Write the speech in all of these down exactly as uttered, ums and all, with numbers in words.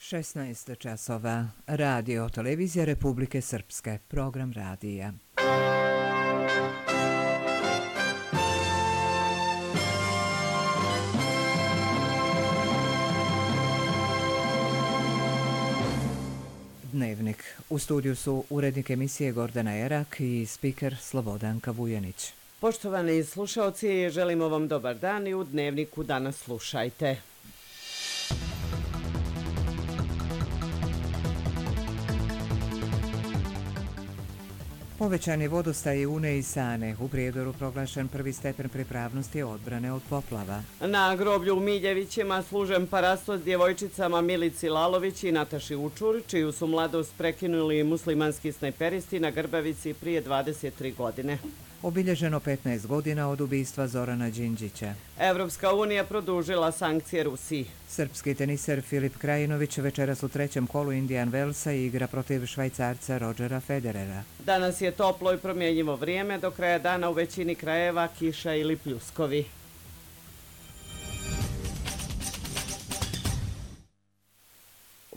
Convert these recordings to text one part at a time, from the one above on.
šesnaest časova. Radio Televizija Republike Srpske. Program radija. Dnevnik. U studiju su urednik emisije Gordana Erak i spiker Slobodanka Vujanić. Poštovani slušaoci, želimo vam dobar dan i u Dnevniku danas slušajte. Povećan je vodostaj Une i Sane. U Prijedoru proglašen prvi stepen pripravnosti odbrane od poplava. Na groblju u Miljevićima služen parasto s djevojčicama Milici Lalović i Nataši Učur, čiju su mladost prekinuli muslimanski snajperisti na Grbavici prije dvadeset tri godine. Obilježeno petnaest godina od ubistva Zorana Đinđića. Evropska unija produžila sankcije Rusiji. Srpski teniser Filip Krajinović večeras u trećem kolu Indian Wellsa igra protiv Švajcarca Rodgera Federera. Danas je toplo i promjenjivo vrijeme, do kraja dana u većini krajeva kiša ili pljuskovi.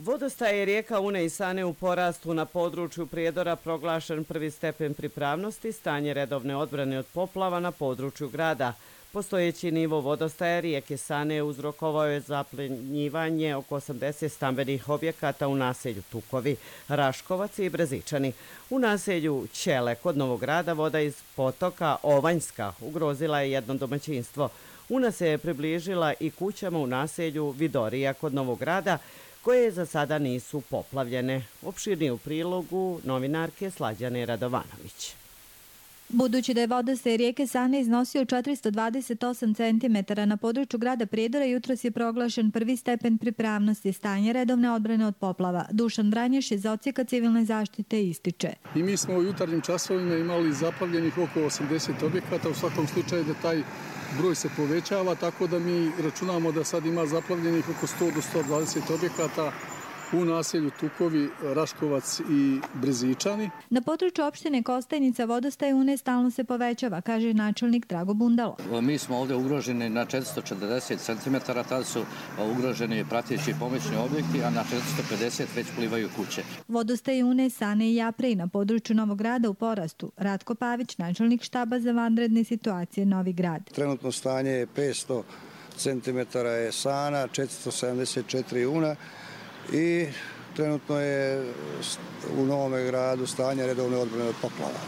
Vodostaj je rijeka Une i Sane u porastu. Na području Prijedora proglašen prvi stepen pripravnosti, stanje redovne odbrane od poplava na području grada. Postojeći nivo vodostaja rijeke Sane uzrokovao je zaplenjivanje oko osamdeset stambenih objekata u naselju Tukovi, Raškovac i Brezičani. U naselju Ćele kod Novog Grada voda iz potoka Ovanjska ugrozila je jedno domaćinstvo. Una se je približila i kućama u naselju Vidorija kod Novog Grada, koje za sada nisu poplavljene. Opširnije u prilogu novinarke Slađane Radovanović. Budući da je vodostaj rijeke Sane iznosio četiristo dvadeset osam centimetara na području grada Prijedora, jutros je proglašen prvi stepen pripravnosti, stanje redovne odbrane od poplava. Dušan Vranješ iz Odsjeka civilne zaštite ističe. I mi smo u jutarnjim časovima imali zaplavljenih oko osamdeset objekata, u svakom slučaju da taj broj se povećava, tako da mi računamo da sad ima zaplavljenih oko sto do sto dvadeset objekata u naselju Tukovi, Raškovac i Brezičani. Na području opštine Kostajnica vodostaj Une stalno se povećava, kaže načelnik Drago Bundalo. Mi smo ovdje ugroženi na četiristo četrdeset centimetara, tada su ugroženi prateći pomoćni objekti, a na četiristo pedeset već plivaju kuće. Vodostaj Une, Sane i Japre na području Novog Grada u porastu. Ratko Pavić, načelnik štaba za vanredne situacije Novi Grad. Trenutno stanje je petsto centimetara je Sana, četiristo sedamdeset četiri Una, i trenutno je u Novom Gradu stanje redovne odbrane od poplava.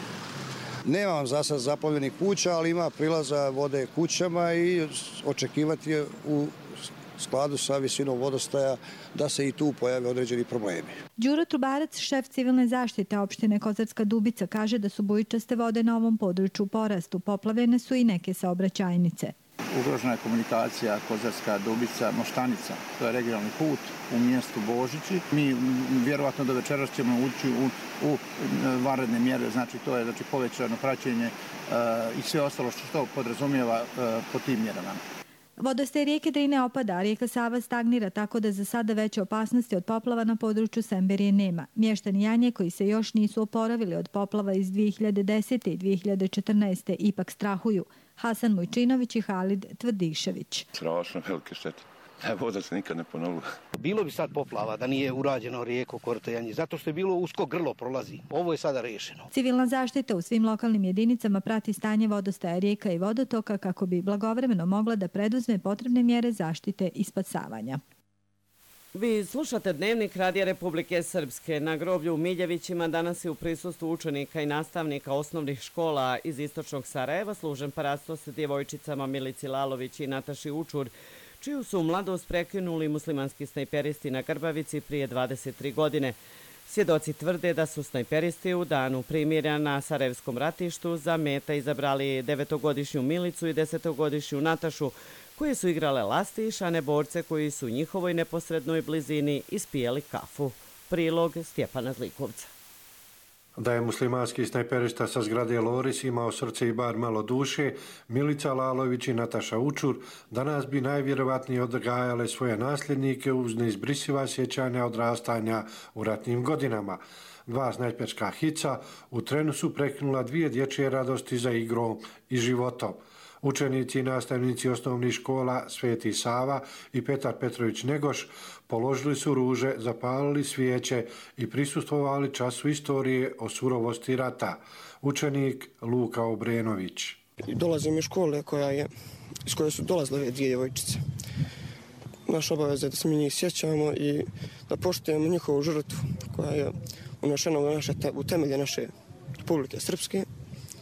Nemam za sad zaplavljenih kuća, ali ima prilaza vode kućama i očekivati je u skladu sa visinom vodostaja da se i tu pojave određeni problemi. Đuro Trubarac, šef civilne zaštite opštine Kozarska Dubica, kaže da su bujičaste vode na ovom području u porastu. Poplavljene su i neke saobraćajnice. Ugrožena je komunikacija Kozarska Dubica Moštanica, to je regionalni put u mjestu Božići. Mi vjerovatno do večeras ćemo ući u, u vanredne mjere, znači to je znači, povećano praćenje uh, i sve ostalo što, što podrazumijeva uh, po tim mjerama. Vodostaj rijeke Drine opada, a rijeka Sava stagnira, tako da za sada veće opasnosti od poplava na području Semberije nema. Mještani Janje, koji se još nisu oporavili od poplava iz dvije hiljade desete i dvije hiljade četrnaeste. ipak strahuju. Hasan Mujčinović i Halid Tvrdišević. Strašno velike štete. Voda se nikad ne ponovila. Bilo bi sad poplava da nije urađeno rijeko Korto Janje, zato što je bilo usko grlo prolazi. Ovo je sada rešeno. Civilna zaštita u svim lokalnim jedinicama prati stanje vodostaja rijeka i vodotoka kako bi blagovremeno mogla da preduzme potrebne mjere zaštite i spasavanja. Vi slušate Dnevnik Radija Republike Srpske. Na groblju u Miljevićima danas je u prisustvu učenika i nastavnika osnovnih škola iz istočnog Sarajeva služen parasto sa djevojčicama Milici Lalović i Nataši Učur, čiju su mladost prekinuli muslimanski snajperisti na Grbavici prije dvadeset tri godine. Svjedoci tvrde da su snajperisti u danu primirja na Sarajevskom ratištu za meta izabrali devetogodišnju Milicu i desetogodišnju Natašu, koje su igrale lastiš, a ne borce koji su u njihovoj neposrednoj blizini ispijeli kafu. Prilog Stjepana Zlikovca. Da je muslimanski snajperista sa zgrade Loris imao srce i bar malo duše, Milica Lalović i Nataša Učur danas bi najvjerovatnije odgajale svoje nasljednike uz neizbrisiva sjećanja odrastanja u ratnim godinama. Dva snajperska hica u trenu su prekinula dvije dječje radosti za igrom i životom. Učenici i nastavnici osnovnih škola Sveti Sava i Petar Petrović Negoš položili su ruže, zapalili svijeće i prisustvovali času istorije o surovosti rata. Učenik Luka Obrenović. Dolazim iz škole koja je, iz koje su dolazile ove dvije djevojčice. Naša obaveza je da se mi njih sjećamo i da poštujemo njihovu žrtvu koja je unešena u, naše, u temelje naše Republike Srpske.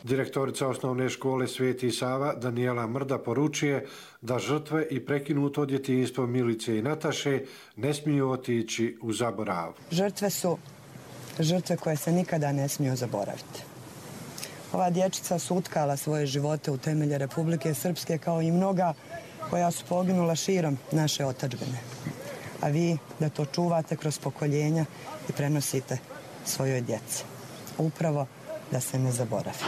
Direktorica osnovne škole Sveti Sava Danijela Mrda poručuje da žrtve i prekinuto djetinjstvo Milice i Nataše ne smiju otići u zaborav. Žrtve su žrtve koje se nikada ne smiju zaboraviti. Ova dječica su utkala svoje živote u temelje Republike Srpske kao i mnoga koja su poginula širom naše otadžbine. A vi da to čuvate kroz pokoljenja i prenosite svojoj djeci. Upravo da se ne zaboravi.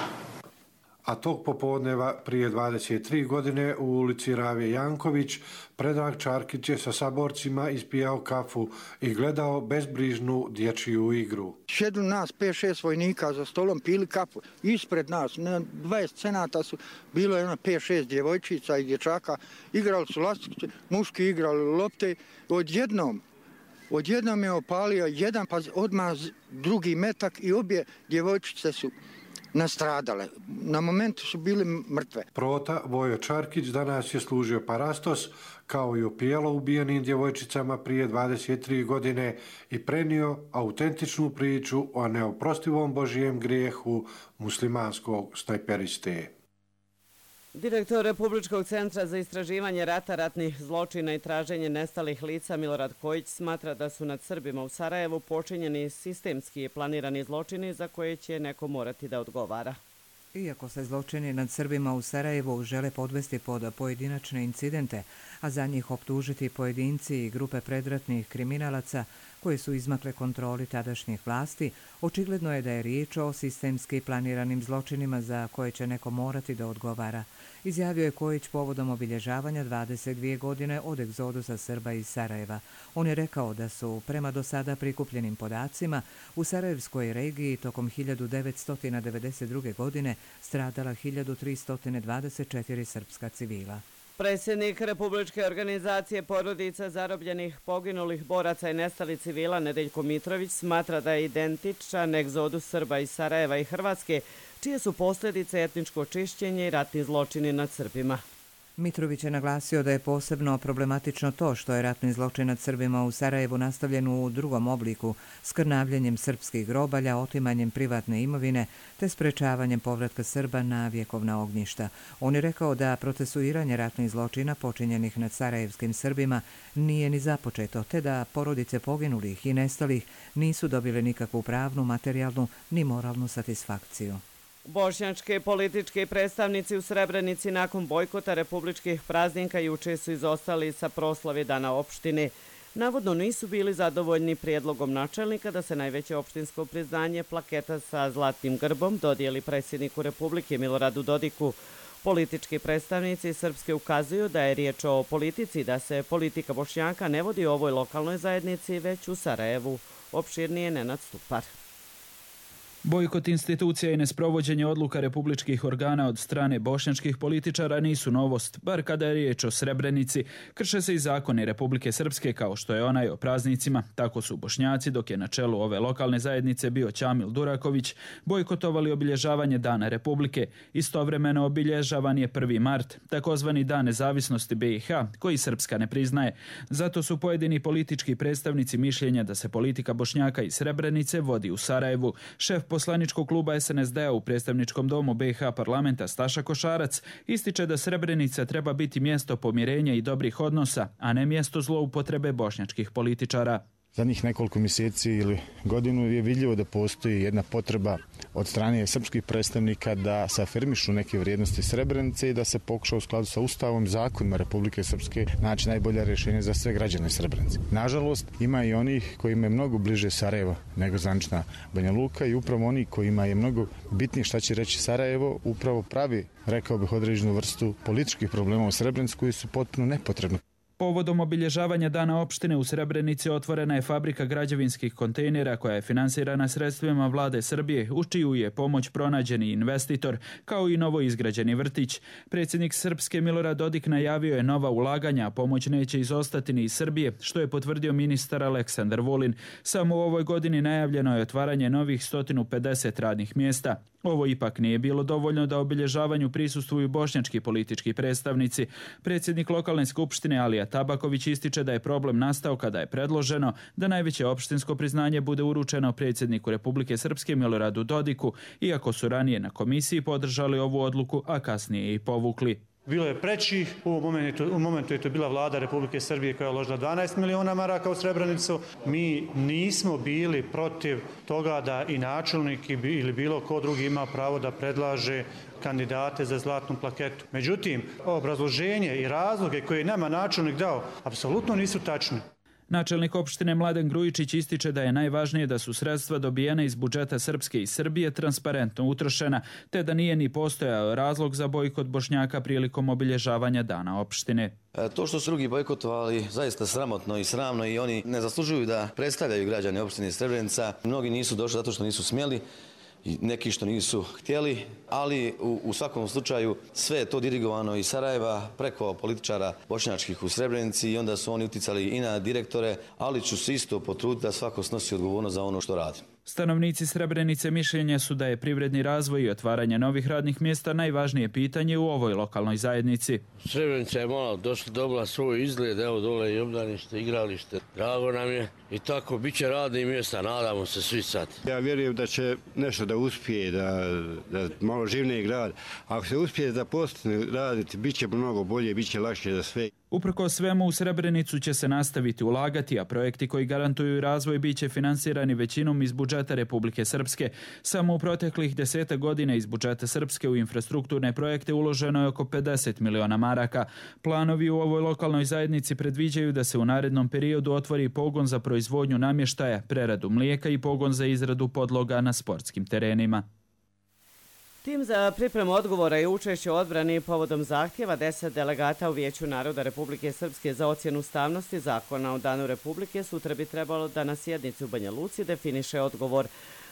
A tog popodneva prije dvadeset tri godine u ulici Ravije Janković Predrag Čarkić je sa saborcima ispijao kafu i gledao bezbrižnu dječju igru. Sjedu nas pet šest vojnika za stolom, pili kafu. Ispred nas, na dvadeset cenata su bilo jedno pet šest djevojčica i dječaka. Igrali su lastice, muški igrali lopte. Odjednom, odjednom je opalio jedan, pa odmah drugi metak i obje djevojčice su nastradale. Na momentu su bili mrtve. Prota Vojo Čarkić danas je služio parastos kao i opijalo ubijenim djevojčicama prije dvadeset tri godine i prenio autentičnu priču o neoprostivom božijem grijehu muslimanskog snajperiste. Direktor Republičkog centra za istraživanje rata, ratnih zločina i traženje nestalih lica Milorad Kojić smatra da su nad Srbima u Sarajevu počinjeni sistemski planirani zločini za koje će neko morati da odgovara. Iako se zločini nad Srbima u Sarajevu žele podvesti pod pojedinačne incidente, a za njih optužiti pojedinci i grupe predratnih kriminalaca koje su izmakle kontroli tadašnjih vlasti, očigledno je da je riječ o sistemski planiranim zločinima za koje će neko morati da odgovara, izjavio je Kojić povodom obilježavanja dvadeset dvije godine od egzodusa Srba iz Sarajeva. On je rekao da su, prema do sada prikupljenim podacima, u Sarajevskoj regiji tokom hiljadu devetsto devedeset druge. godine stradala hiljadu tristo dvadeset četiri srpska civila. Predsjednik Republičke organizacije porodica zarobljenih, poginulih boraca i nestalih civila Nedeljko Mitrović smatra da je identičan egzodus Srba iz Sarajeva i Hrvatske, čije su posljedice etničko čišćenje i ratni zločini nad Srbima. Mitrović je naglasio da je posebno problematično to što je ratni zločin nad Srbima u Sarajevu nastavljen u drugom obliku, skrnavljanjem srpskih grobalja, otimanjem privatne imovine te sprečavanjem povratka Srba na vjekovna ognjišta. On je rekao da procesuiranje ratnih zločina počinjenih nad sarajevskim Srbima nije ni započeto, te da porodice poginulih i nestalih nisu dobile nikakvu pravnu, materijalnu ni moralnu satisfakciju. Bošnjačke političke predstavnici u Srebrenici nakon bojkota republičkih praznika juče su izostali sa proslave Dana opštine. Navodno nisu bili zadovoljni prijedlogom načelnika da se najveće opštinsko priznanje plaketa sa zlatnim grbom dodijeli predsjedniku Republike Miloradu Dodiku. Politički predstavnici Srpske ukazuju da je riječ o politici, da se politika Bošnjaka ne vodi u ovoj lokalnoj zajednici, već u Sarajevu. Opširnije Nenad Stupar. Bojkot institucija i nesprovođenje odluka republičkih organa od strane bošnjačkih političara nisu novost, bar kada je riječ o Srebrenici. Krše se i zakoni Republike Srpske kao što je onaj o praznicima. Tako su Bošnjaci, dok je na čelu ove lokalne zajednice bio Ćamil Duraković, bojkotovali obilježavanje Dana Republike. Istovremeno obilježavan je prvi mart, takozvani Dan nezavisnosti B i H, koji Srpska ne priznaje. Zato su pojedini politički predstavnici mišljenja da se politika Bošnjaka i Srebrenice vodi u Sarajevu. Šef poslaničkog kluba S N S D-a u predstavničkom domu B i H parlamenta Staša Košarac ističe da Srebrenica treba biti mjesto pomirenja i dobrih odnosa, a ne mjesto zloupotrebe bošnjačkih političara. Zadnjih nekoliko mjeseci ili godinu je vidljivo da postoji jedna potreba od strane srpskih predstavnika da se afirmišu neke vrijednosti Srebrenice i da se pokuša u skladu sa Ustavom, zakonima Republike Srpske naći najbolja rješenja za sve građane Srebrenice. Nažalost, ima i onih kojima je mnogo bliže Sarajevo nego zvanična Banja Luka i upravo oni kojima je mnogo bitnije šta će reći Sarajevo upravo pravi, rekao bih, određenu vrstu političkih problema u Srebrenici koji su potpuno nepotrebni. Povodom obilježavanja Dana opštine u Srebrenici otvorena je fabrika građevinskih kontejnera koja je finansirana sredstvima vlade Srbije, u čiju je pomoć pronađeni investitor, kao i novo izgrađeni vrtić. Predsjednik Srpske Milorad Dodik najavio je nova ulaganja, a pomoć neće izostati ni iz Srbije, što je potvrdio ministar Aleksandar Vulin. Samo u ovoj godini najavljeno je otvaranje novih sto pedeset radnih mjesta. Ovo ipak nije bilo dovoljno da obilježavanju prisustvuju bošnjački politički predstavnici. Predsjednik lokalne skupštine Alija Tabaković ističe da je problem nastao kada je predloženo da najveće opštinsko priznanje bude uručeno predsjedniku Republike Srpske Miloradu Dodiku, iako su ranije na komisiji podržali ovu odluku, a kasnije i povukli. Bilo je prećih, u momentu, u momentu je to bila vlada Republike Srbije koja je uložila dvanaest miliona maraka u Srebrenicu. Mi nismo bili protiv toga da i načelnik ili bilo ko drugi ima pravo da predlaže kandidate za zlatnu plaketu. Međutim, obrazloženje i razloge koje je nama načelnik dao apsolutno nisu tačni. Načelnik opštine Mladen Grujičić ističe da je najvažnije da su sredstva dobijena iz budžeta Srpske i Srbije transparentno utrošena, te da nije ni postojao razlog za bojkot Bošnjaka prilikom obilježavanja Dana opštine. To što su drugi bojkotovali zaista sramotno i sramno i oni ne zaslužuju da predstavljaju građane opštine Srebrenica. Mnogi nisu došli zato što nisu smjeli, neki što nisu htjeli, ali u, u svakom slučaju sve je to dirigovano iz Sarajeva preko političara bošnjačkih u Srebrenici i onda su oni uticali i na direktore, ali ću se isto potruditi da svako snosi odgovornost za ono što radi. Stanovnici Srebrenice mišljenja su da je privredni razvoj i otvaranje novih radnih mjesta najvažnije pitanje u ovoj lokalnoj zajednici. Srebrenica je malo došla, dobila svoj izgled, evo dole i obdanište, igralište, drago nam je i tako bit će radnih mjesta, nadamo se svi sad. Ja vjerujem da će nešto da uspije, da, da malo živniji grad. Ako se uspije da postane raditi, bit će mnogo bolje, bit će lakše za sve. Uprkos svemu u Srebrenicu će se nastaviti ulagati, a projekti koji garantuju razvoj bit će finansirani većinom iz budžeta Republike Srpske. Samo u proteklih deseta godina iz budžeta Srpske u infrastrukturne projekte uloženo je oko pedeset miliona maraka. Planovi u ovoj lokalnoj zajednici predviđaju da se u narednom periodu otvori pogon za proizvodnju namještaja, preradu mlijeka i pogon za izradu podloga na sportskim terenima. Tim za pripremu odgovora i učešće u odbrani povodom zahtjeva deset delegata u Vijeću naroda Republike Srpske za ocjenu ustavnosti zakona o Danu Republike sutra bi trebalo da na sjednici u Banja Luci definiše odgovor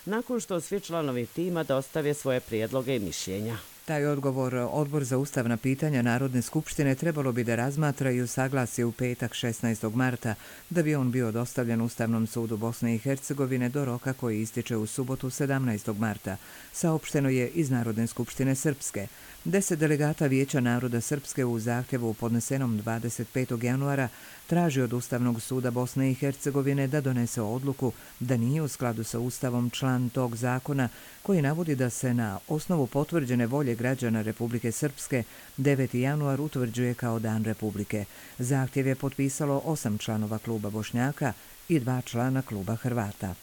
nakon što svi članovi tima dostave svoje prijedloge i mišljenja. Taj odgovor Odbor za ustavna pitanja Narodne skupštine trebalo bi da razmatra i usaglasi u petak šesnaestog marta, da bi on bio dostavljen Ustavnom sudu Bosne i Hercegovine do roka koji ističe u subotu sedamnaestog marta, saopšteno je iz Narodne skupštine Srpske. Deset delegata Vijeća naroda Srpske u zahtjevu podnesenom dvadeset petog januara traži od Ustavnog suda Bosne i Hercegovine da donese odluku da nije u skladu sa Ustavom član tog zakona koji navodi da se na osnovu potvrđene volje građana Republike Srpske deveti januar utvrđuje kao Dan Republike. Zahtjev je potpisalo osam članova kluba Bošnjaka i dva člana kluba Hrvata.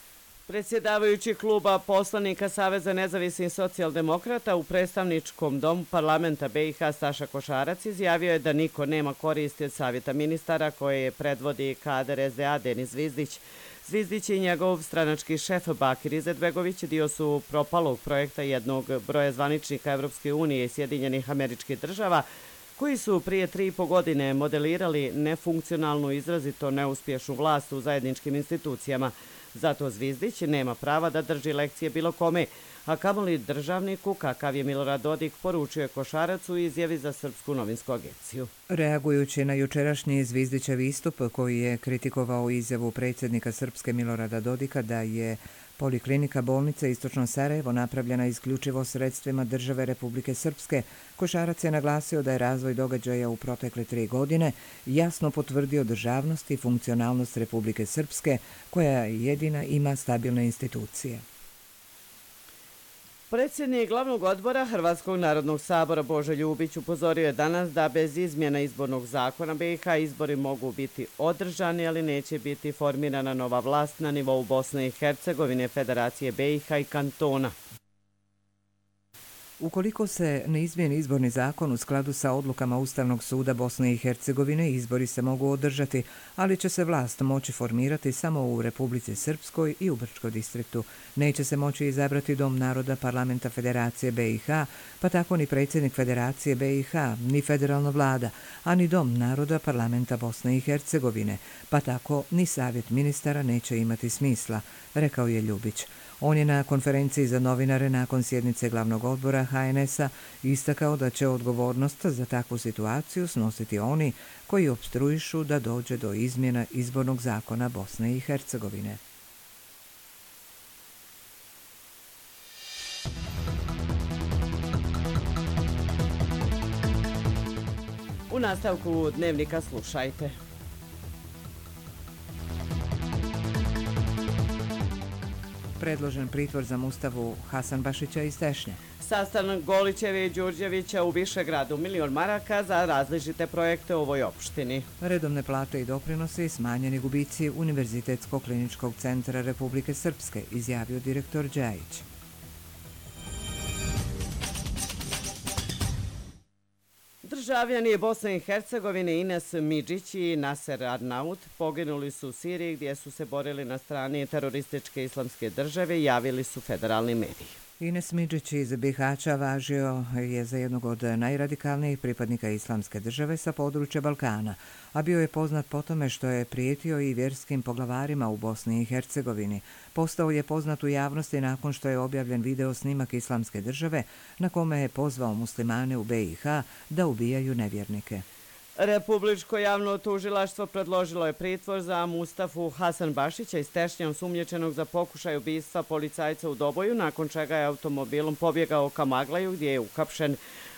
Predsjedavajući kluba poslanika Saveza nezavisnih socijaldemokrata u predstavničkom domu parlamenta B i H Staša Košarac izjavio je da niko nema koristi od savjeta ministara koje predvodi kader S D A Denis Zvizdić. Zvizdić i njegov stranački šef Bakir Izetbegović dio su propalog projekta jednog broja zvaničnika Evropske unije i Sjedinjenih Američkih Država koji su prije tri i po godine modelirali nefunkcionalnu, izrazito neuspješnu vlast u zajedničkim institucijama. Zato Zvizdić nema prava da drži lekcije bilo kome, a kamoli državniku kakav je Milorad Dodik, poručuje Košarac u izjavi za Srpsku novinsku agenciju. Reagujući na jučerašnji Zvizdićev istup koji je kritikovao izjavu predsjednika Srpske Milorada Dodika da je Poliklinika bolnice Istočno Sarajevo napravljena isključivo sredstvima države Republike Srpske, Košarac je naglasio da je razvoj događaja u protekle tri godine jasno potvrdio državnost i funkcionalnost Republike Srpske, koja jedina ima stabilne institucije. Predsjednik glavnog odbora Hrvatskog narodnog sabora Božo Ljubić upozorio je danas da bez izmjena izbornog zakona B i H izbori mogu biti održani, ali neće biti formirana nova vlast na nivou Bosne i Hercegovine, Federacije B i H i kantona. Ukoliko se ne izmijeni izborni zakon u skladu sa odlukama Ustavnog suda Bosne i Hercegovine, izbori se mogu održati, ali će se vlast moći formirati samo u Republici Srpskoj i u Brčkom distriktu. Neće se moći izabrati Dom naroda Parlamenta Federacije B i H, pa tako ni predsjednik Federacije B i H, ni federalna vlada, a ni Dom naroda Parlamenta Bosne i Hercegovine, pa tako ni savjet ministara neće imati smisla, rekao je Ljubić. On je na konferenciji za novinare nakon sjednice glavnog odbora H N S-a istakao da će odgovornost za takvu situaciju snositi oni koji opstruišu da dođe do izmjena izbornog zakona Bosne i Hercegovine. U nastavku dnevnika slušajte. Predložen pritvor za Mustafu Hasanbašića iz Tešnje. Sastanak Golićeve i Đurđevića u Višegradu, milion maraka za različite projekte u ovoj opštini. Redovne plate i doprinosi, smanjeni gubici Univerzitetskog kliničkog centra Republike Srpske, izjavio direktor Đajić. Državljani Bosne i Hercegovine Ines Midžić i Naser Arnaut poginuli su u Siriji gdje su se borili na strani terorističke islamske države, javili su federalni mediji. Ines Midžić iz Bihaća važio je za jednog od najradikalnijih pripadnika islamske države sa područja Balkana, a bio je poznat po tome što je prijetio i vjerskim poglavarima u Bosni i Hercegovini. Postao je poznat u javnosti nakon što je objavljen video snimak islamske države na kome je pozvao muslimane u B i H da ubijaju nevjernike. Republičko javno tužilaštvo predložilo je pritvor za Mustafu Hasanbašića iz Tešnja, osumnjičenog za pokušaj ubistva policajca u Doboju, nakon čega je automobilom pobjegao ka Maglaju gdje je uhapšen.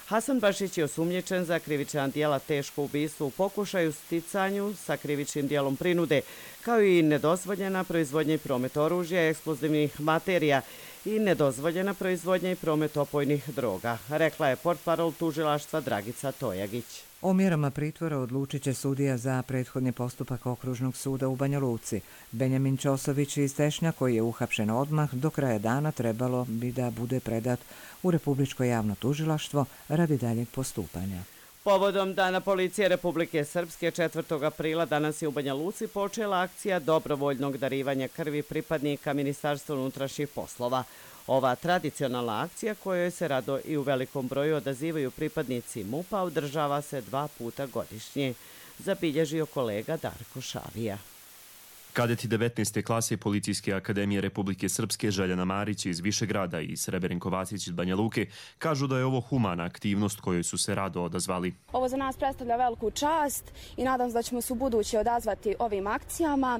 Hasanbašić je osumnjičen za krivična djela teško ubistvo u pokušaju sticanju sa krivičnim djelom prinude, kao i nedozvoljena proizvodnja i promet oružja i eksplozivnih materija i nedozvoljena proizvodnja i promet opojnih droga, rekla je portparol tužilaštva Dragica Tojagić. O mjerama pritvora odlučit će sudija za prethodni postupak Okružnog suda u Banja Luci. Benjamin Ćosović iz Tešnja, koji je uhapšen odmah, do kraja dana trebalo bi da bude predat u Republičko javno tužilaštvo radi daljeg postupanja. Povodom Dana policije Republike Srpske četvrtog aprila danas je u Banja Luci počela akcija dobrovoljnog darivanja krvi pripadnika Ministarstva unutrašnjih poslova. Ova tradicionalna akcija, kojoj se rado i u velikom broju odazivaju pripadnici MUP-a, održava se dva puta godišnje, zabilježio kolega Darko Šavija. Kadeti devetnaeste klase Policijske akademije Republike Srpske Željana Marić iz Višegrada i Sreberenko Vacić iz Banja Luke kažu da je ovo humana aktivnost kojoj su se rado odazvali. Ovo za nas predstavlja veliku čast i nadam se da ćemo se u buduće odazvati ovim akcijama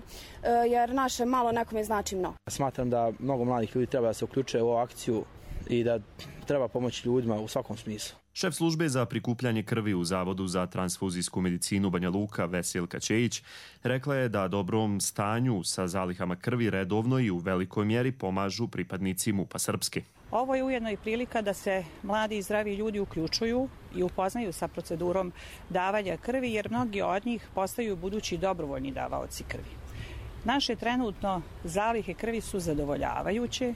jer naše malo nekome znači mnogo. Smatram da mnogo mladih ljudi treba da se uključe u ovu akciju i da treba pomoći ljudima u svakom smislu. Šef službe za prikupljanje krvi u Zavodu za transfuzijsku medicinu Banja Luka Veselka Čejić rekla je da dobrom stanju sa zalihama krvi redovno i u velikoj mjeri pomažu pripadnici MUP-a Srpske. Ovo je ujedno i prilika da se mladi i zdravi ljudi uključuju i upoznaju sa procedurom davanja krvi, jer mnogi od njih postaju budući dobrovoljni davaoci krvi. Naše trenutno zalihe krvi su zadovoljavajuće,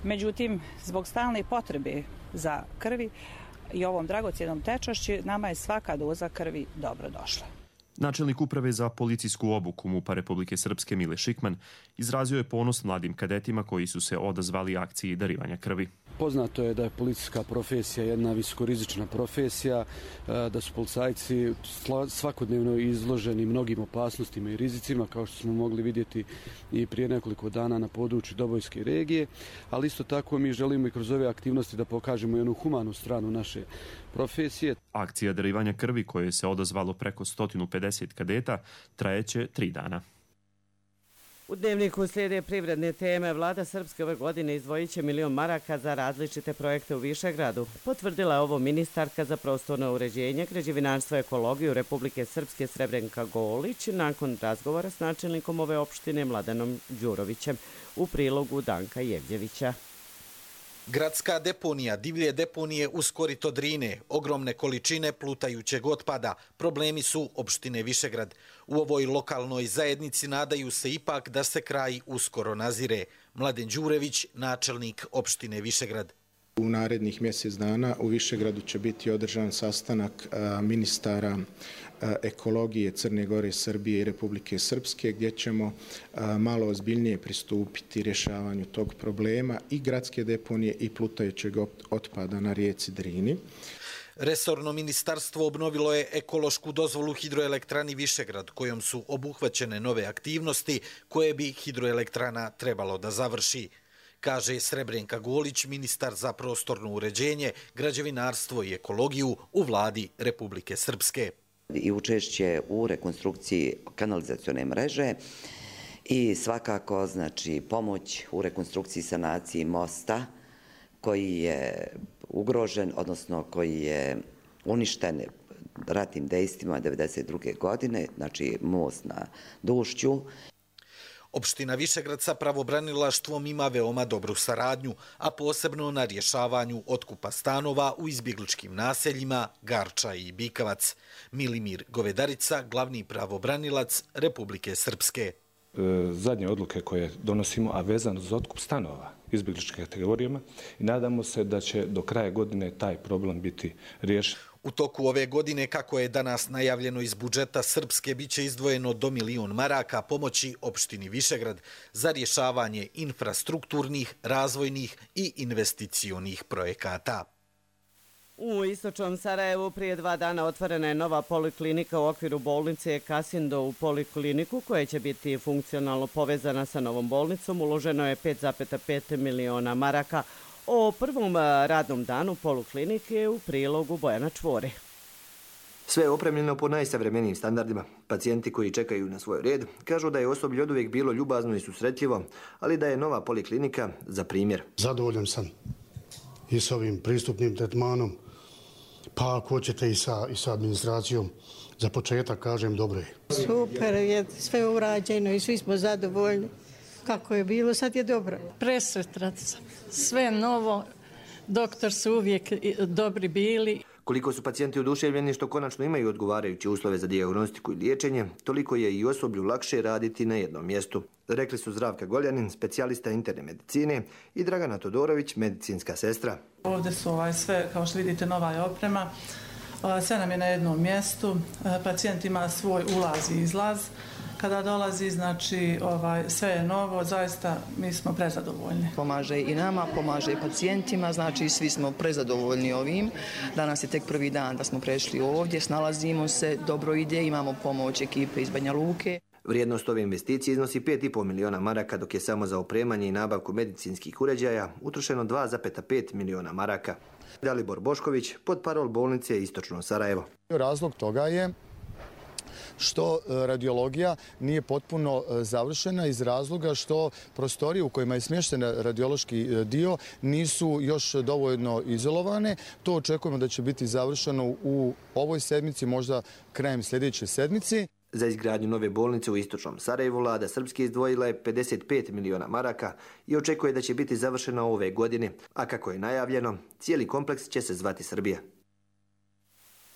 međutim, zbog stalne potrebe za krvi i ovom dragocjenom tečašću, nama je svaka doza krvi dobro došla. Načelnik uprave za policijsku obuku MUP-a Republike Srpske Mile Šikman izrazio je ponos mladim kadetima koji su se odazvali akciji darivanja krvi. Poznato je da je policijska profesija jedna visokorizična profesija, da su policajci svakodnevno izloženi mnogim opasnostima i rizicima, kao što smo mogli vidjeti i prije nekoliko dana na području Dobojske regije, ali isto tako mi želimo i kroz ove aktivnosti da pokažemo jednu humanu stranu naše profesije. Akcija darivanja krvi, koje se odazvalo preko sto pedeset kadeta, trajeće tri dana. U dnevniku slijede privredne teme. Vlada Srpske ove godine izdvojit će milion maraka za različite projekte u Višegradu. Potvrdila je ovo ministarka za prostorno uređenje, građevinarstvo i ekologiju Republike Srpske Srebrenka Golić nakon razgovora s načelnikom ove opštine Mladenom Đurovićem u prilogu Danka Jevđevića. Gradska deponija, divlje deponije uz korito Drine, ogromne količine plutajućeg otpada, problemi su opštine Višegrad. U ovoj lokalnoj zajednici nadaju se ipak da se kraj uskoro nazire. Mladen Đurević, načelnik opštine Višegrad. U narednih mjesec dana u Višegradu će biti održan sastanak ministara ekologije Crne Gore, Srbije i Republike Srpske, gdje ćemo malo ozbiljnije pristupiti rješavanju tog problema i gradske deponije i plutajućeg otpada na rijeci Drini. Resorno ministarstvo obnovilo je ekološku dozvolu hidroelektrani Višegrad, kojom su obuhvaćene nove aktivnosti koje bi hidroelektrana trebalo da završi, kaže Srebrenka Golić, ministar za prostorno uređenje, građevinarstvo i ekologiju u vladi Republike Srpske. I učešće u rekonstrukciji kanalizacione mreže i svakako znači pomoć u rekonstrukciji sanaciji mosta koji je ugrožen, odnosno koji je uništen ratnim dejstvima devedeset druge godine, znači most na Dušću. Opština Višegrad sa pravobranilaštvom ima veoma dobru saradnju, a posebno na rješavanju otkupa stanova u izbjegličkim naseljima Garča i Bikavac. Milimir Govedarica, glavni pravobranilac Republike Srpske. Zadnje odluke koje donosimo, a vezano za otkup stanova izbjegličkim kategorijama, i nadamo se da će do kraja godine taj problem biti riješen. U toku ove godine, kako je danas najavljeno iz budžeta Srpske, biće izdvojeno do milion maraka pomoći opštini Višegrad za rješavanje infrastrukturnih, razvojnih i investicionih projekata. U istočnom Sarajevu prije dva dana otvorena je nova poliklinika u okviru bolnice Kasindo. U polikliniku, koja će biti funkcionalno povezana sa novom bolnicom, uloženo je pet zarez pet miliona maraka. O prvom radnom danu poliklinike u prilogu Bojana Čvore. Sve je opremljeno po najsavremenijim standardima. Pacijenti koji čekaju na svoj red kažu da je osoblje oduvijek bilo ljubazno i susretljivo, ali da je nova poliklinika za primjer. Zadovoljan sam i s ovim pristupnim tretmanom, pa ako hoćete i sa, i sa administracijom. Za početak kažem dobro je. Super je sve urađeno i svi smo zadovoljni. Kako je bilo, sad je dobro. Presretna sam. Sve novo, doktor su uvijek dobri bili. Koliko su pacijenti oduševljeni što konačno imaju odgovarajuće uslove za dijagnostiku i liječenje, toliko je i osoblju lakše raditi na jednom mjestu. Rekli su Zdravka Goljanin, specijalista interne medicine, i Dragana Todorović, medicinska sestra. Ovdje su ovaj sve, kao što vidite, nova je oprema. Sve nam je na jednom mjestu. Pacijent ima svoj ulaz i izlaz. Kada dolazi, znači, ovaj, sve je novo, zaista mi smo prezadovoljni. Pomaže i nama, pomaže i pacijentima, znači svi smo prezadovoljni ovim. Danas je tek prvi dan da smo prešli ovdje, snalazimo se, dobro ide, imamo pomoć ekipe iz Banja Luke. Vrijednost ove investicije iznosi pet zarez pet miliona maraka, dok je samo za opremanje i nabavku medicinskih uređaja utrošeno dva zarez pet miliona maraka. Dalibor Bošković, potparol bolnice Istočno Sarajevo. Razlog toga je što radiologija nije potpuno završena iz razloga što prostorije u kojima je smješten radiološki dio nisu još dovoljno izolovane. To očekujemo da će biti završeno u ovoj sedmici, možda krajem sljedeće sedmici. Za izgradnju nove bolnice u Istočnom Sarajevu vlada Srpske izdvojila je pedeset pet miliona maraka i očekuje da će biti završena ove godine. A kako je najavljeno, cijeli kompleks će se zvati Srbija.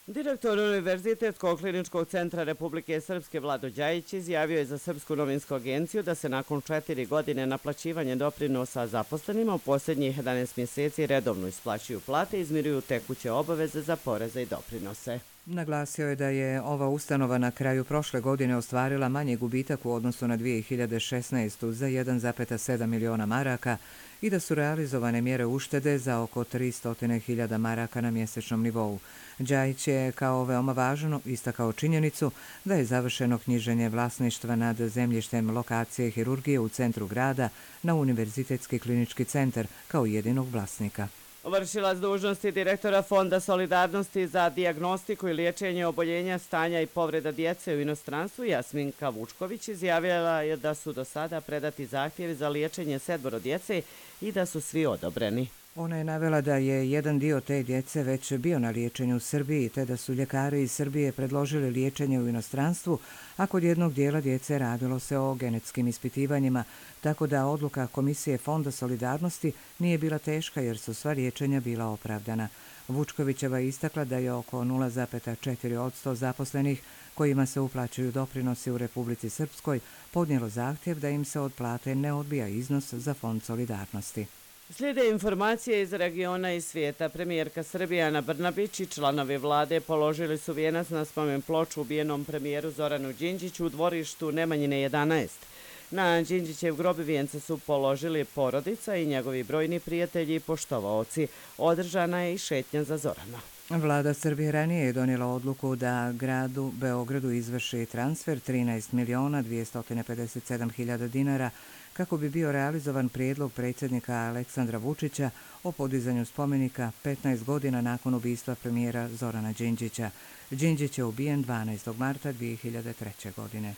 Direktor Univerzitetskog kliničkog centra Republike Srpske Vlado Đajić izjavio je za Srpsku novinsku agenciju da se nakon četiri godine naplaćivanja doprinosa zaposlenima u posljednjih jedanaest mjeseci redovno isplaćuju plate i izmiruju tekuće obaveze za poreze i doprinose. Naglasio je da je ova ustanova na kraju prošle godine ostvarila manji gubitak u odnosu na dvije hiljade šesnaestu. za jedan zarez sedam miliona maraka i da su realizovane mjere uštede za oko tristo hiljada maraka na mjesečnom nivou. Đajić je kao veoma važno istakao činjenicu da je završeno knjiženje vlasništva nad zemljištem lokacije hirurgije u centru grada na Univerzitetski klinički centar kao jedinog vlasnika. Vršilac dužnosti direktora Fonda solidarnosti za dijagnostiku i liječenje oboljenja, stanja i povreda djece u inostranstvu Jasminka Vučković izjavila je da su do sada predati zahtjevi za liječenje sedmoro djece i da su svi odobreni. Ona je navela da je jedan dio te djece već bio na liječenju u Srbiji, te da su ljekari iz Srbije predložili liječenje u inostranstvu, a kod jednog dijela djece radilo se o genetskim ispitivanjima, tako da odluka Komisije Fonda solidarnosti nije bila teška jer su sva liječenja bila opravdana. Vučkovićeva je istakla da je oko nula zarez četiri posto zaposlenih kojima se uplaćuju doprinosi u Republici Srpskoj podnijelo zahtjev da im se od plate ne odbija iznos za Fond solidarnosti. Slijede informacije iz regiona i svijeta. Premijerka Srbije Ana Brnabić i članovi vlade položili su vijenac na spomen ploču ubijenom premijeru Zoranu Đinđiću u dvorištu Nemanjine jedanaest. Na Đinđićev grob vijence su položili porodica i njegovi brojni prijatelji i poštovaoci. Održana je i šetnja za Zorana. Vlada Srbije ranije je donijela odluku da gradu Beogradu izvrši transfer trinaest miliona dvjesto pedeset sedam hiljada dinara kako bi bio realizovan prijedlog predsjednika Aleksandra Vučića o podizanju spomenika petnaest godina nakon ubistva premijera Zorana Đinđića. Đinđić je ubijen dvanaestog marta dvije hiljade treće. godine.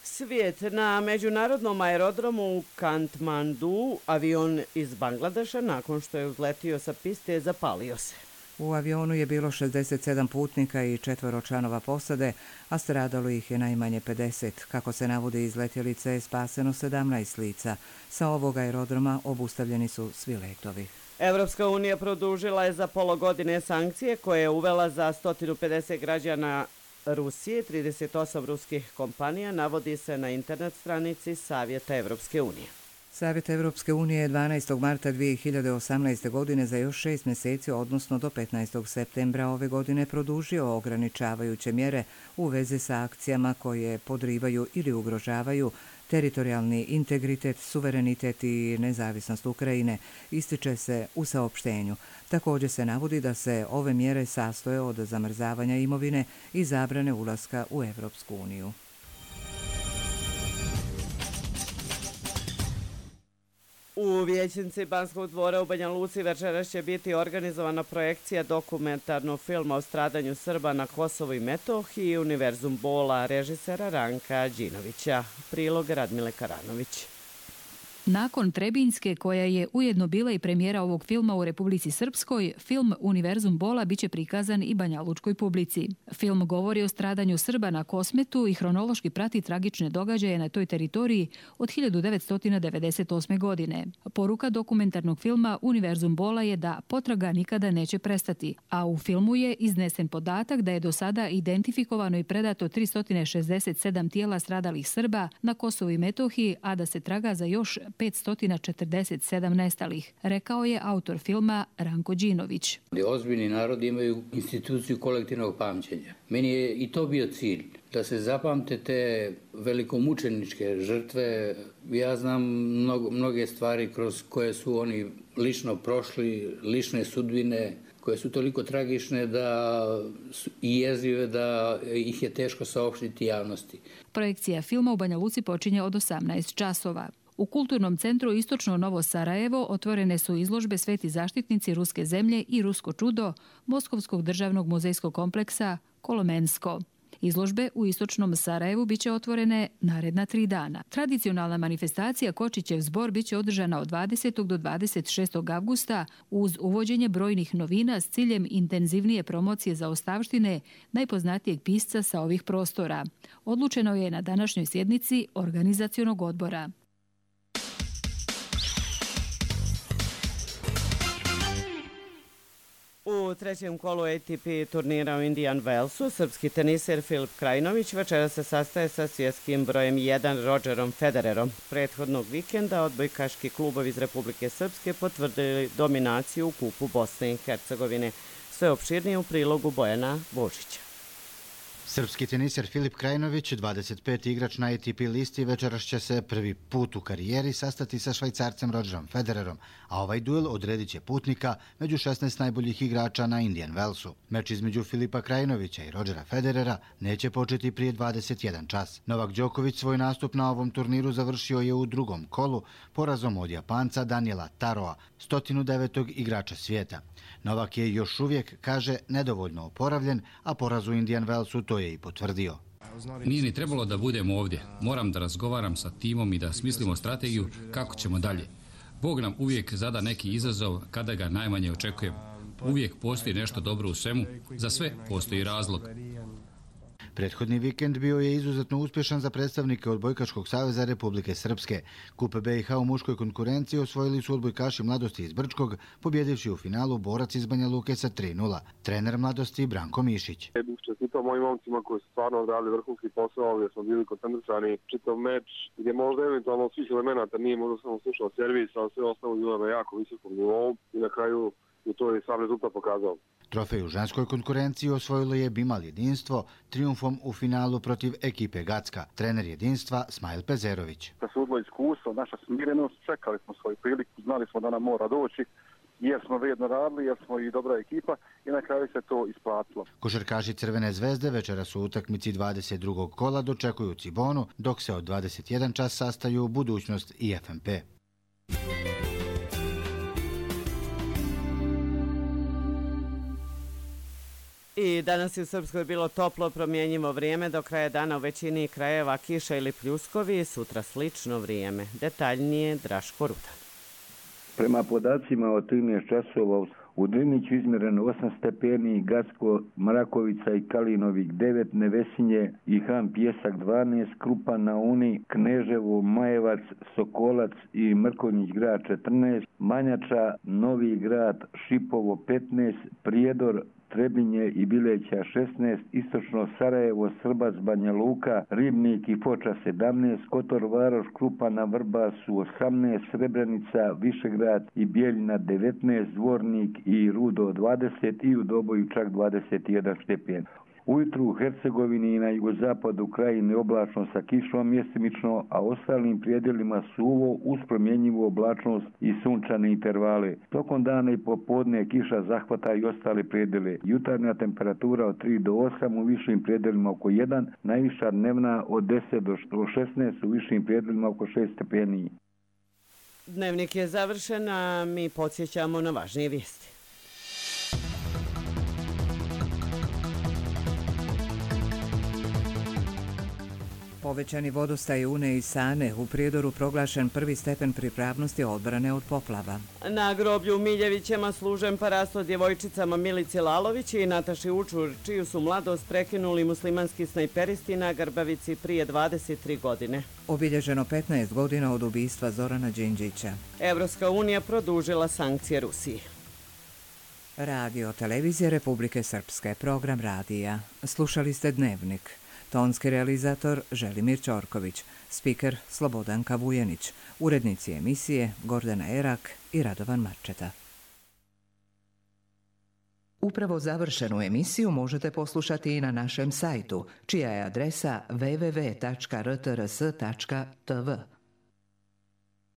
Svijet. Na međunarodnom aerodromu u Katmandu avion iz Bangladeša nakon što je uzletio sa piste zapalio se. U avionu je bilo šezdeset sedam putnika i četvoro članova posade, a stradalo ih je najmanje pedeset. Kako se navodi iz letjelice je spaseno sedamnaest lica. Sa ovog aerodroma obustavljeni su svi letovi. Evropska unija produžila je za pola godine sankcije koje je uvela za sto pedeset građana Rusije, trideset osam ruskih kompanija, navodi se na internet stranici Savjeta Evropske unije. Savjet Evropske unije je dvanaestog marta dvije hiljade osamnaeste. godine za još šest mjeseci, odnosno do petnaestog septembra ove godine, produžio ograničavajuće mjere u vezi sa akcijama koje podrivaju ili ugrožavaju teritorijalni integritet, suverenitet i nezavisnost Ukrajine, ističe se u saopštenju. Također se navodi da se ove mjere sastoje od zamrzavanja imovine i zabrane ulaska u Evropsku uniju. U vijećnici Banskog dvora u Banja Luci večeras će biti organizovana projekcija dokumentarnog filma o stradanju Srba na Kosovu i Metohiji i Univerzum bola režisera Ranka Đinovića. Prilog Radmile Karanović. Nakon Trebinjske, koja je ujedno bila i premijera ovog filma u Republici Srpskoj, film Univerzum bola biće prikazan i banjalučkoj publici. Film govori o stradanju Srba na Kosmetu i hronološki prati tragične događaje na toj teritoriji od hiljadu devetsto devedeset osme. godine. Poruka dokumentarnog filma Univerzum bola je da potraga nikada neće prestati, a u filmu je iznesen podatak da je do sada identifikovano i predato tristo šezdeset sedam tijela stradalih Srba na Kosovu i Metohiji, a da se traga za još petsto četrdeset sedam nestalih, rekao je autor filma Ranko Đinović. Ozbiljni narodi imaju instituciju kolektivnog pamćenja. Meni je i to bio cilj, da se zapamte te velikomučeničke žrtve. Ja znam mnogo, mnoge stvari kroz koje su oni lično prošli, lične sudbine, koje su toliko tragične da su i jezive da ih je teško saopštiti javnosti. Projekcija filma u Banja Luci počinje od osamnaest časova. U Kulturnom centru Istočno Novo Sarajevo otvorene su izložbe Sveti zaštitnici ruske zemlje i Rusko čudo Moskovskog državnog muzejskog kompleksa Kolomensko. Izložbe u Istočnom Sarajevu biće otvorene naredna tri dana. Tradicionalna manifestacija Kočićev zbor biće održana od dvadesetog do dvadeset šestog avgusta uz uvođenje brojnih novina s ciljem intenzivnije promocije zaostavštine najpoznatijeg pisca sa ovih prostora. Odlučeno je na današnjoj sjednici organizacionog odbora. U trećem kolu A T P turnira u Indian Wellsu srpski teniser Filip Krajinović večera se sastaje sa svjetskim brojem jedan Rodgerom Federerom. Prethodnog vikenda odbojkaški klubovi iz Republike Srpske potvrdili dominaciju u kupu Bosne i Hercegovine. Sve opširnije u prilogu Bojana Božića. Srpski teniser Filip Krajinović, dvadeset peti igrač na A T P listi, večeras će se prvi put u karijeri sastati sa Švajcarcem Rodgerom Federerom, a ovaj duel odredit će putnika među šesnaest najboljih igrača na Indian Wellsu. Meč između Filipa Krajinovića i Rodgera Federera neće početi prije dvadeset jedan čas. Novak Đoković svoj nastup na ovom turniru završio je u drugom kolu porazom od Japanca Daniela Taroa, sto devetog igrača svijeta. Novak je još uvijek, kaže, nedovoljno oporavljen, a poraz u Indian Wellsu to je i potvrdio. Nije ni trebalo da budem ovdje. Moram da razgovaram sa timom i da smislimo strategiju kako ćemo dalje. Bog nam uvijek zada neki izazov kada ga najmanje očekujemo. Uvijek postoji nešto dobro u svemu, za sve postoji razlog. Prethodni vikend bio je izuzetno uspješan za predstavnike Odbojkaškog saveza Republike Srpske. Kup B i H u muškoj konkurenciji osvojili su odbojkaši Mladosti iz Brčkog, pobjedivši u finalu borac iz Banja Luke sa tri nula. Trener Mladosti Branko Mišić. Bih čestitao mojim momcima koji su stvarno odradili vrhunski posao, gdje smo bili koncentrisani čitav meč, gdje možda eventualno svih elemenata nije možda samo slušao servis, ali sve ostalo bilo na jako visokom nivou i na kraju i to je sam rezultat pokazao. Trofej u ženskoj konkurenciji osvojilo je Bimal Jedinstvo trijumfom u finalu protiv ekipe Gacka. Trener Jedinstva Smajl Pezerović. Presudilo iskustvo, naša smirenost, čekali smo svoju priliku, znali smo da nam mora doći, jer smo vrijedno radili, jer smo i dobra ekipa i na kraju se to isplatilo. Košarkaši Crvene zvezde večera su u utakmici dvadeset drugog kola dočekuju Cibonu, dok se od dvadeset jedan čas sastaju Budućnost i F M P. I danas je u Srpskoj bilo toplo, promjenjivo vrijeme, do kraja dana u većini krajeva kiša ili pljuskovi, sutra slično vrijeme. Detaljnije Draško Rudan. Prema podacima od trinaest časova u Driniću izmjereno osam stepeni, Gacko, Mrakovica i Kalinovik devet, Nevesinje i Han Pjesak dvanaest, Krupa na Uni, Kneževo, Majevac, Sokolac i Mrkonjić grad četrnaest, Manjača, Novi grad, Šipovo petnaest, Prijedor, Trebinje i Bileća šesnaest, istočno Sarajevo, Srbac, Banja Luka, Ribnik i Foča sedamnaest, Kotor, Varoš, Krupana, Vrbasu osamnaest, Srebrenica, Višegrad i Bijeljina devetnaest, Dvornik i Rudo dvadeset i u Doboju čak dvadeset jedan stepen. Ujutru u Hercegovini i na jugozapadu krajine oblačno sa kišom mjestimično, a ostalim prijedelima suvo uz promjenjivu oblačnost i sunčane intervale. Tokom dana i popodne kiša zahvata i ostale prijedele. Jutarnja temperatura od tri do osam, u višim prijedelima oko jedan, najviša dnevna od deset do šesnaest, u višim prijedelima oko šest stepeni. Dnevnik je završen, a mi podsjećamo na važnije vijesti. Povećani vodostaj Une i Sane, u Prijedoru proglašen prvi stepen pripravnosti odbrane od poplava. Na groblju u Miljevićima služen parasto djevojčicama Milici Lalović i Nataši Učur, čiju su mladost prekinuli muslimanski snajperisti na Grbavici prije dvadeset tri godine. Obilježeno petnaest godina od ubistva Zorana Đinđića. Evropska unija produžila sankcije Rusiji. Radio Televizija Republike Srpske, program radija. Slušali ste Dnevnik. Tonski realizator Želimir Ćorković, spiker Slobodanka Vujenić, urednici emisije Gordana Erak i Radovan Marčeta. Upravo završenu emisiju možete poslušati i na našem sajtu, čija je adresa w w w tačka r t r s tačka t v.